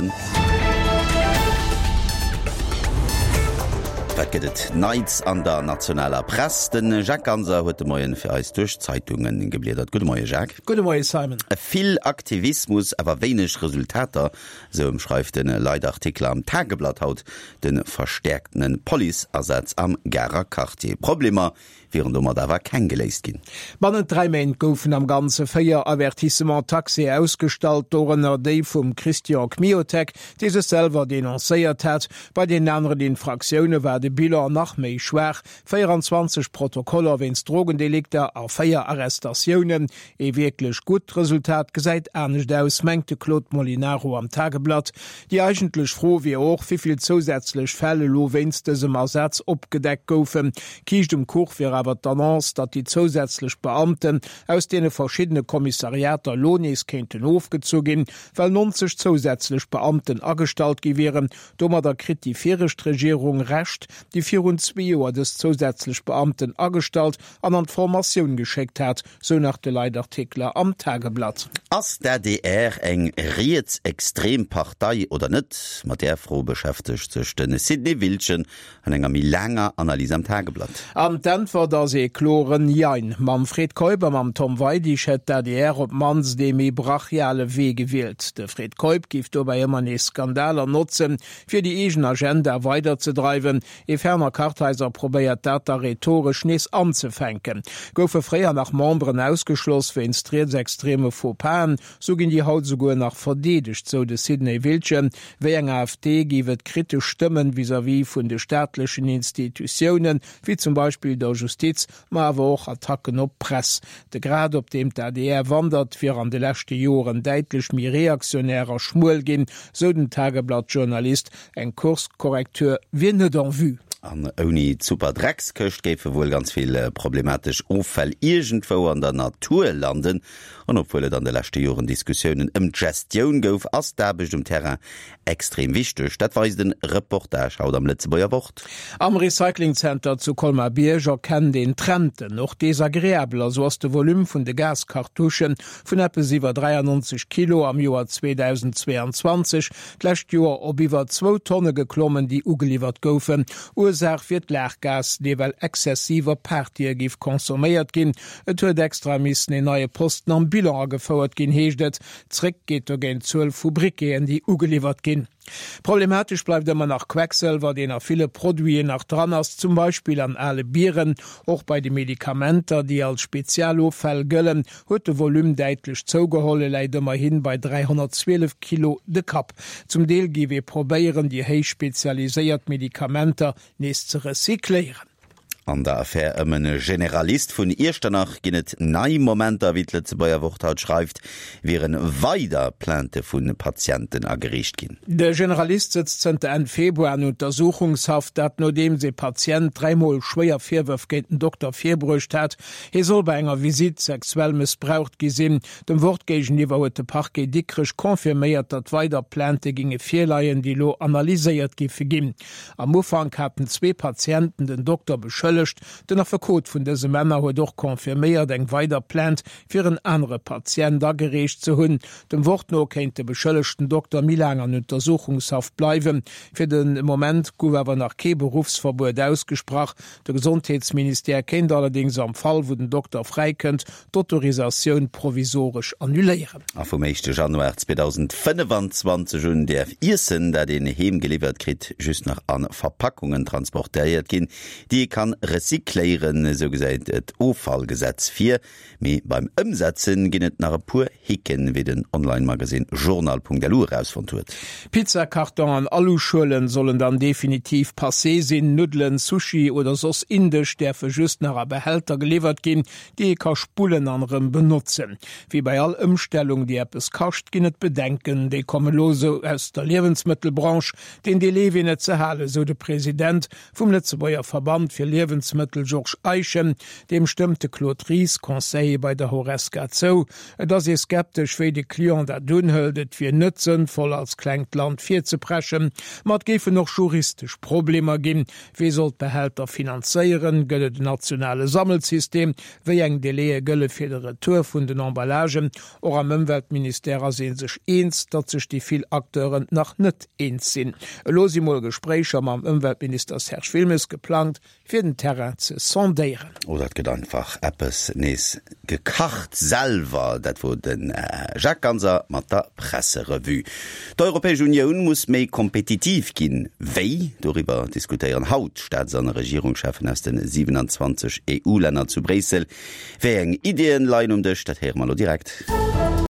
7. Wat gëtt et Neits an der nationaler Press? De Jacques Ganser huet de Moien fir eis duerch d'Zeitunge gebliedert. Gudde Moie Jacques. Gudde Moie Simon. Vill Aktivismus, awer wéineg Resultater, esou ëmschreift de Leitartikler am Tageblatt haut de verstäerktene Policeasaz am Garer Quartier. Problemer wieren domat awer keng geléist ginn. Bannent 3 Méint goufen am Ganze 4 Avertissements taxés ausgestallt, dorënner déi vum Christian Kmiotek, dee sech selwer denoncéiert hat. Bei den aneren Infraktioune war de Bilan nach méi schwaach, 24 Protokoller wéinst Drogendelikter a 4 Arrestatiounen. Ee wierklech gutt Resultat gesäit anescht aus, mengt de Claude Molinaro am Tageblatt. Déi eigentlech Fro wier och, wéi vill zousätzlech Fäll elo wéinst dësem Asaz opgedeckt goufen. Kiischt um Kuch wier awer d'Annonce, datt déi zousätzlech Beamten aus deene verschiddene Kommissariater elo nees kéinten ofgezu ginn, well 90 zousätzlech Beamten agestallt gi wieren. Domadder kritt déi viregt Regierung Recht, déi virun zwee Joer dës zousätzlech Beamten agestallt an an d'Formatioun geschéckt hat, sou nach de Leitartikler am Tageblatt. Ass d'ADR eng rietsextrem Partei oder net? Mat där Fro beschäftegt sech de Sidney Wiltgen an enger méi laanger Analys am Tageblatt. An d'Äntwert ass ee kloren Jein. Mam Fred Keup a mam Tom Weidig hätt d'ADR op d'mannst ee méi brachiale Wee gewielt. De Fred Keup géif dobäi ëmmer nees Skandaler notzen, fir déi eegen Agenda weiderzedreiwen. Ee Werner Kartheiser probéiert dat da rhetoresch nees anzefänken. Goufe fréier nach Memberen ausgeschloss wéinst rietsextreme Faux-Pasen, sou ginn déi haut esouguer nach verdeedegt, sou de Sidney Wiltgen. Wéi eng AfD géif et kritesch Stëmmen vis-à-vis vun de staatlechen Institutiounen, wéi zum Beispill der Justiz, ma awer och Attacken op d'Press. De Grad, op deem d'ADR wandert, wier an de leschte Joren däitlech méi reaktionär a schmuel ginn, sou den Tageblatt-Journalist. Eng Kurskorrektur wier net en vue. An ouni d'Superdreckskëscht géife wuel ganz vill problematesch Offäll iergendwou an der Natur landen. An obwuel et an de leschte Joren Diskussiounen ëm d'Gestioun gouf, ass d'Aarbecht um Terrain extrem wichteg. Dat weist en Reportage haut am Lëtzebuerger Wort. Am Recyclingzenter zu Colmar-Bierg erkennt een Trenten, och desagreabel. Esou ass de Volume vun de Gaskartuschen vun eppes iwwer 93 Kilo am Joer 2022 d'lescht Joer op iwwer zwou Tonne geklommen, déi ugeliwwert goufen. Ursaach wier d'Laachgas, dee well exzessiv op Partye géif consomméiert ginn. Et huet extra missen een neie Posten am Bilan agefouert ginn, heescht et. Zréck geet dogéint d'Zuel vu Briqueten, déi ugeliwwert ginn. Problematesch bleift ëmmer nach Quecksëlwer, deen a ville Produiten nach dran ass, zum Beispill an ale Bieren. Och bei de Medikamenter, déi als Spezialoffäll gëllen, huet de Volume däitlech zougeholl, e läit ëmmerhi bei 312 Kilo de Kapp. Zum Deel géif ee probéieren, déi héich spezialiséiert Medikamenter nees ze recycléieren. An der Affär ëm e Generalist vun Iechternach ginn et nei Momenter. Wéi d'Lëtzebuerger Wort haut schreift, wiere weider Plainte vu Patienten agereecht ginn. De Generalist sëtzt zënter Enn Februar an Untersuchungshaft, dat nodeems ee Patient dräimol schwéier Virwërf géint den Dokter virbruecht hat. Hie soll bei enger Visitt sexuell mëssbraucht gi sinn. Dem Wort géigeniwwer huet de Parquet Dikrech confirméiert, datt weider Plainte ginge virleien, déi elo analyséiert géife ginn. Am Ufank haten zwee Patienten den Dokter beschëllegt. Den Affekot vun dëse Männer huet och confirméiert, eng weider Plainte fir en anere Patient agereecht ze hunn. Dem Wort no kéint de beschëllegten Dokter méi laang an Untersuchungshaft bleiwen. Fir de Moment gouf awer nach kee Beruffsverbuet ausgesprach. De Gesondheetsministère kéint allerdéngs am Fall, wou den Dokter fräikënnt, d'Autorisatioun provisoresch annuléieren. A vum éischte Januar 2025 un däerf Iessen, dat een heem geliwwert kritt, just nach a Verpackungen transportéiert ginn, déi ee kann recycléieren. Esou gesäit et Offallgesetz vir. Mee beim Ëmsetzen ginn et nach e puer Hicken, wéi den Online-Magasinn Journal.lu erausfonnt huet. Pizzakarton an Aluschuelen sollen dann definitiv passé sinn. Nuddelen, Sushi oder soss Indesch däerfe just nach a Behälter geliwwert ginn, déi ee ka spullen an erëm benotzen. Wéi bei all Ëmstellung, déi eppes kascht, ginn et Bedenken. Déi komme lo esou aus der Liewensmëttelbranche. Den Delai wier net ze halen, esou de President vum Lëtzebuerger Verband fir. Liewensmëttel Georges Eischen. Deem stëmmt de Claude Ries, Conseiller bei der Horesca zou. Et ass ee skeptesch, wéi de Client dat unhëlt. Et wier net sënnvoll, als klengt Land virzepreschen. Ma et géifen och juristesch Problemer ginn. Wee soll d'Behälter finanzéieren? Gëtt et en nationale Sammelsystem? Wéi eng Délaië gëlle fir de Retour vun den Emballagen? Och am Ëmweltministère ass ee sech eens, datt sech déi vill Acteuren nach net eens sinn. Elo si mol Gespréicher mam Ëmweltminister Serge Wilmes geplangt, fir den Terrain ze sondéieren. Oder et gëtt einfach eppes nees gekacht selwer. Dat wor de Jacques Ganser mat der Presserevue. D'Europäesch Unioun muss méi kompetitiv ginn. Wéi? Doriwwer diskutéieren haut d'Staats an Regierungscheffen aus de 27 EU-Länner zu Bréissel. Wéi eng Iddien leien um Dësch? Dat héiere mer elo direkt.